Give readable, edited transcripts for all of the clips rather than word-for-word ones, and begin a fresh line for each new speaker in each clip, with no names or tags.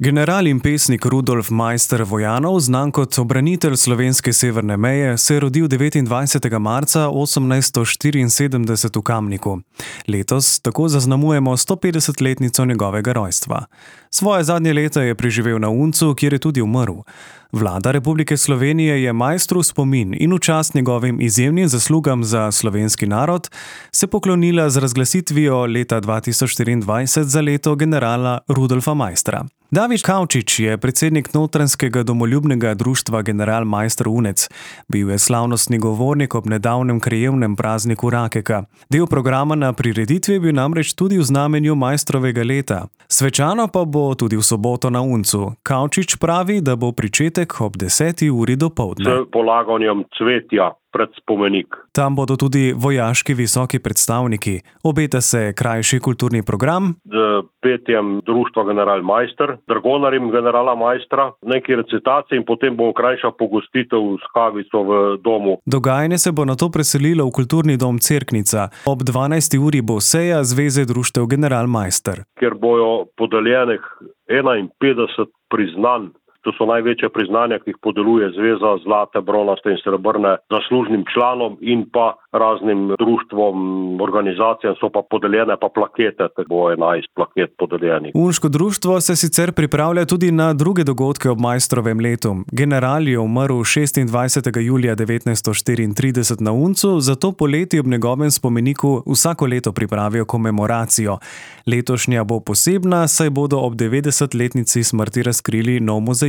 General in pesnik Rudolf Maister Vojanov, znan kot obranitelj slovenske severne meje, se je rodil 29. marca 1874 v Kamniku. Letos tako zaznamujemo 150-letnico njegovega rojstva. Svoje zadnje leta je preživel na Uncu, kjer je tudi umrl. Vlada Republike Slovenije je Maistru spomin in v čast njegovim izjemnim zaslugam za slovenski narod se poklonila z razglasitvijo leta 2024 za leto generala Rudolfa Maistra. David Kavčič je predsednik notranjskega domoljubnega društva General Maister Unec. Bil je slavnostni govornik ob nedavnem krajevnem prazniku Rakeka. Del programa na prireditvi je bil namreč tudi v znamenju Maistrovega leta. Svečano pa bo tudi v soboto na Uncu. Kavčič pravi, da bo pričetek ob 10. uri dopoldne.
S polaganjem cvetja pred spomenik.
Tam bodo tudi vojaški visoki predstavniki. Obeta se krajši kulturni program.
Z petjem društva General Maister, dragonarjem generala Maistra, neki recitaciji in potem bo krajša pogostitev s kavico v domu.
Dogajanje se bo nato preselilo v kulturni dom Cerknica. Ob 12. uri bo seja Zveze društev General Maister,
kjer bojo podeljenih 51 priznanj. To so največje priznanja, ki jih podeluje zveza, zlate, bronaste in srebrne, zaslužnim članom in pa raznim društvom, organizacijam so pa podeljene pa plakete, tako bo 11 plaket podeljenih.
Unško društvo se sicer pripravlja tudi na druge dogodke ob Maistrovem letu. General je umrl 26. julija 1934 na Uncu, zato poleti ob njegovem spomeniku vsako leto pripravijo komemoracijo. Letošnja bo posebna, saj bodo ob 90-letnici smrti razkrili nov mozaik.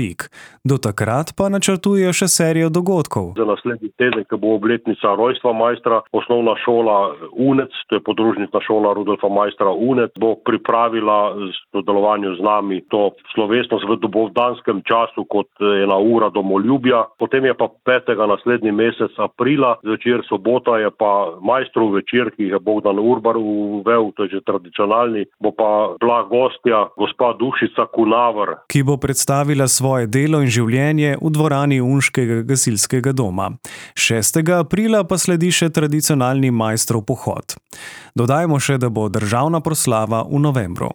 Do takrat pa načrtujejo še serijo dogodkov.
Za naslednji teden, ko bo obletnica rojstva Maistra, osnovna šola Unec, to je podružnica šola Rudolfa Maistra Unec, bo pripravila v sodelovanju z nami to slovesnost v dopoldanskem času kot ena ura domoljubja. Potem je pa 5. naslednji mesec aprila, zvečer sobota je pa Maistrov večer, ki je Bogdan Urbar uvel, to je že tradicionalni, bo pa bila gostja gospa Dušica Kunaver,
ki bo predstavila svoje delo in življenje v dvorani Unškega gasilskega doma. 6. aprila pa sledi še tradicionalni Maistrov pohod. Dodajmo še, da bo državna proslava v novembru.